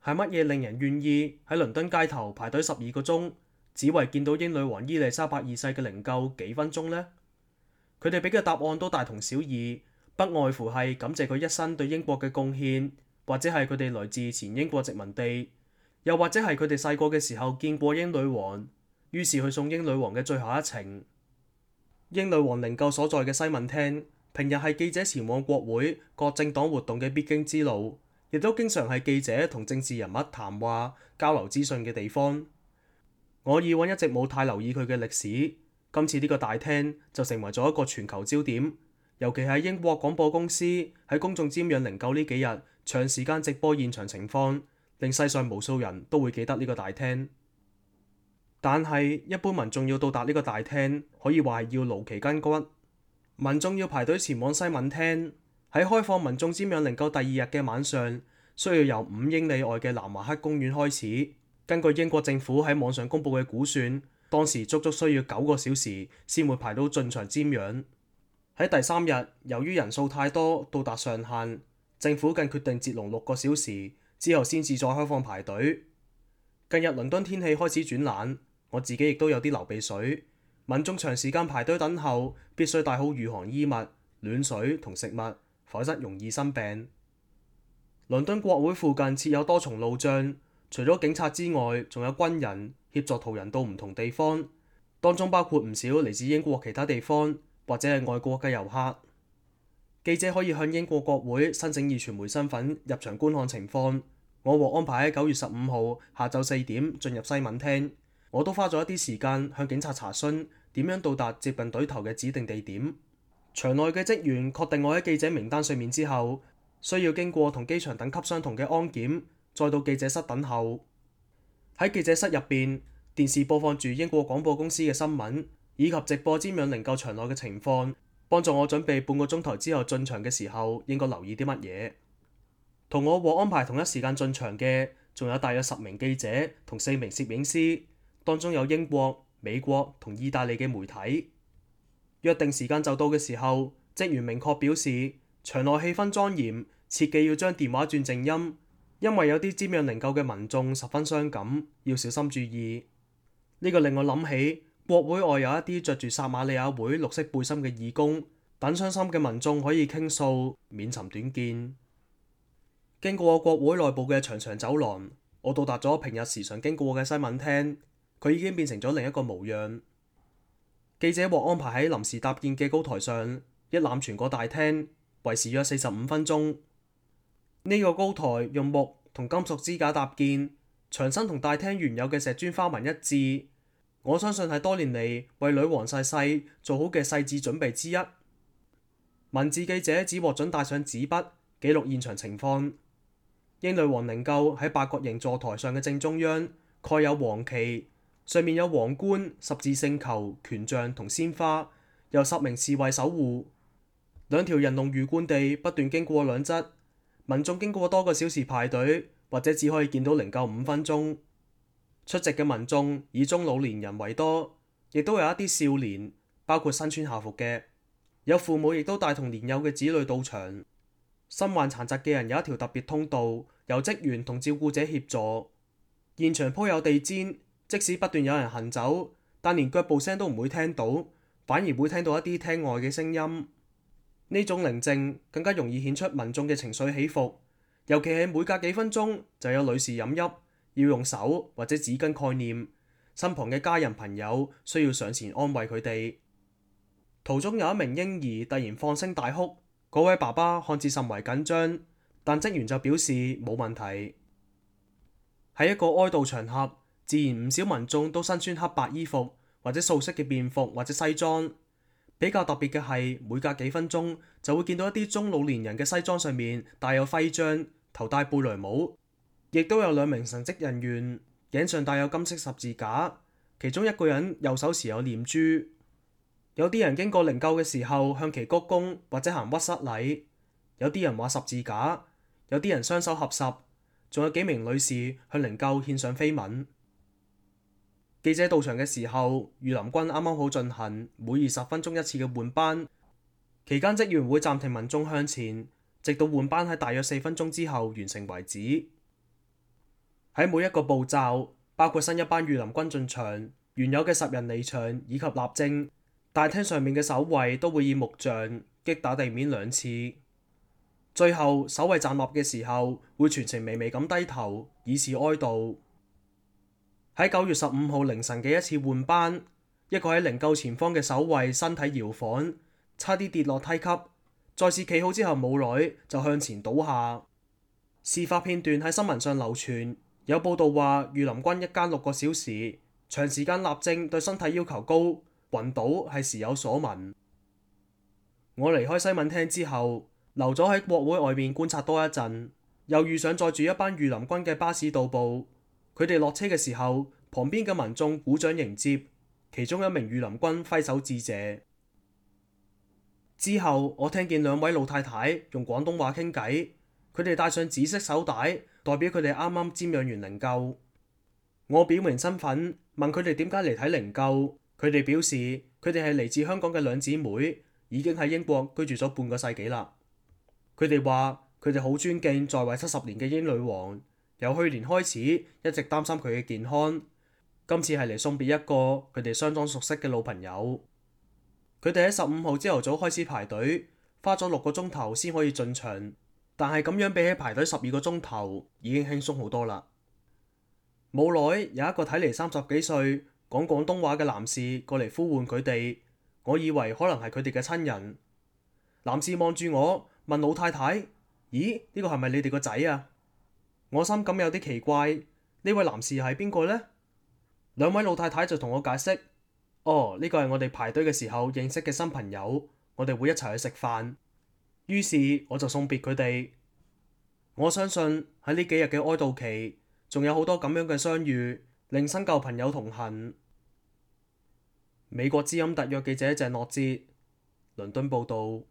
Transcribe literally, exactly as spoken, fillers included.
係乜嘢令人願意喺倫敦街頭排隊十二個鐘，只為見到英女王伊麗莎白二世嘅靈柩幾分鐘呢？佢哋俾嘅答案都大同小異，不外乎係感謝佢一生對英國嘅貢獻，或者係佢哋來自前英國殖民地，又或者係佢哋細個嘅時候見過英女王，於是去送英女王嘅最後一程。英女王靈柩所在嘅西敏廳，平日係記者前往國會各政黨活動嘅必經之路，亦都經常係記者同政治人物談話交流資訊嘅地方。我以往一直冇太留意佢嘅歷史，今次呢個大廳就成為咗一個全球焦點，尤其係英國廣播公司喺公眾瞻仰靈柩呢幾日長時間直播現場情況，令世上無數人都會記得呢個大廳。但係一般民眾要到達呢個大廳，可以話係要勞其筋骨。民眾要排隊前往西敏廳，喺開放民眾瞻仰靈柩第二日嘅晚上，需要由五英里外嘅南華克公園開始。根據英國政府喺網上公佈嘅估算，當時足足需要九個小時先會排到進場瞻仰。喺第三日，由於人數太多到達上限，政府更決定截龍六個小時之後先至再開放排隊。近日倫敦天氣開始轉冷，我自己亦都有啲流鼻水。民眾長時間排隊等候，必須帶好御寒衣物、暖水同食物，否則容易生病。倫敦國會附近設有多重路障，除咗警察之外，仲有軍人協助途人到唔同地方，當中包括唔少嚟自英國其他地方或者係外國嘅遊客。記者可以向英國國會申請以傳媒身份入場觀看情況。我獲安排喺九月十五號下晝四點進入西敏廳。我都花咗一啲時間向警察查詢點樣到達接近隊頭嘅指定地點。場內嘅職員確定我喺記者名單上面之後，需要經過同機場等級相同嘅安檢，再到記者室等候。喺記者室入邊，電視播放住英國廣播公司嘅新聞，以及直播瞻仰靈柩場內嘅情況，幫助我準備半個鐘頭之後進場嘅時候應該留意啲乜嘢。同我獲安排同一時間進場嘅，仲有大約十名記者同四名攝影師。當中有英國、美國同意大利嘅媒體。約定時間就到嘅時候，職員明確表示場內氣氛莊嚴，切記要將電話轉靜音，因為有啲瞻仰靈柩嘅民眾十分傷感，要小心注意。呢、這個令我諗起國會外有一啲着住撒瑪利亞會綠色背心嘅義工，等傷心嘅民眾可以傾訴，免尋短見。經過國會內部嘅長長走廊，我到達咗平日時常經過嘅西敏廳。佢已經變成咗另一個模樣。記者獲安排喺臨時搭建嘅高台上，一覽全個大廳，維持約四十五分鐘。呢、這個高台用木同金屬支架搭建，牆身同大廳原有嘅石磚花紋一致。我相信係多年嚟為女王逝世做好嘅細緻準備之一。文字記者只獲准帶上紙筆記錄現場情況。英女王靈柩喺八角形座台上嘅正中央，蓋有黃旗。上面有皇冠、十字聖球、權杖同鮮花，由十名侍衛守護。兩條人龍魚貫地不斷經過兩側，民眾經過多個小時排隊，或者只可以見到靈柩五分鐘。出席嘅民眾以中老年人為多，亦都有一啲少年，包括身穿校服嘅，有父母亦都帶同年幼嘅子女到場。身患殘疾嘅人有一條特別通道，由職員同照顧者協助。現場鋪有地氈。即使不斷有人行走，但連腳步聲都唔會聽到，反而會聽到一啲廳外嘅聲音。呢種寧靜更加容易顯出民眾嘅情緒起伏，尤其係每隔幾分鐘就有女士飲泣，要用手或者紙巾概念，身旁嘅家人朋友需要上前安慰佢哋。途中有一名嬰兒突然放聲大哭，嗰位爸爸看似甚為緊張，但職員就表示冇問題。喺一個哀悼場合，自然唔少民眾都身穿黑白衣服或者素色嘅便服或者西裝。比較特別嘅係，每隔幾分鐘就會見到一啲中老年人嘅西裝上面帶有徽章，頭戴貝雷帽，亦都有兩名神職人員頸上帶有金色十字架，其中一個人右手持有念珠。有啲人經過靈柩嘅時候向其鞠躬或者行屈膝禮，有啲人畫十字架，有啲人雙手合十，仲有幾名女士向靈柩獻上飛吻。記者到場嘅時候，御林軍啱啱好進行每二十分鐘一次嘅換班，期間職員會暫停民眾向前，直到換班喺大約四分鐘之後完成為止。喺每一個步驟，包括新一班御林軍進場、原有嘅十人離場以及立正，大廳上面嘅守衛都會以木杖擊打地面兩次。最後守衛站立嘅時候，會全程微微咁低頭，以示哀悼。喺九月十五號凌晨嘅一次換班，一個喺靈柩前方嘅守衛身體搖晃，差啲跌落梯級，再次企好之後冇耐就向前倒下。事發片段喺新聞上流傳，有報道話御林軍一間六個小時，長時間立正對身體要求高，暈倒係時有所聞。我離開西敏廳之後，留咗喺國會外面觀察多一陣，又遇上載住一班御林軍嘅巴士到埗。佢哋落車嘅時候，旁邊嘅民眾鼓掌迎接，其中一名御林軍揮手致謝。之後我聽見兩位老太太用廣東話傾偈，佢哋戴上紫色手帶，代表佢哋啱啱瞻仰完靈柩。我表明身份，問佢哋點解嚟睇靈柩，佢哋表示佢哋係嚟自香港嘅兩姊妹，已經喺英國居住咗半個世紀啦。佢哋話佢哋好尊敬在位七十年嘅英女王，由去年開始一直擔心佢嘅健康，今次係嚟送別一個佢哋相當熟悉嘅老朋友。佢哋喺十五號朝頭早開始排隊，花咗六個鐘頭先可以進場，但係咁樣比起排隊十二個鐘頭已經輕鬆好多啦。冇耐有一個睇嚟三十幾歲講廣東話嘅男士過嚟呼喚佢哋，我以為可能係佢哋嘅親人。男士望住我問老太太：咦，呢個係咪你哋個仔啊？我心感有啲奇怪，呢位男士係邊個呢？兩位老太太就同我解釋：哦，呢個係我哋排隊嘅時候認識嘅新朋友，我哋會一齊去食飯。於是我就送別佢哋。我相信喺呢幾日嘅哀悼期，仲有好多咁樣嘅相遇，令新舊朋友同行。美國之音特約記者鄭諾哲，倫敦報道。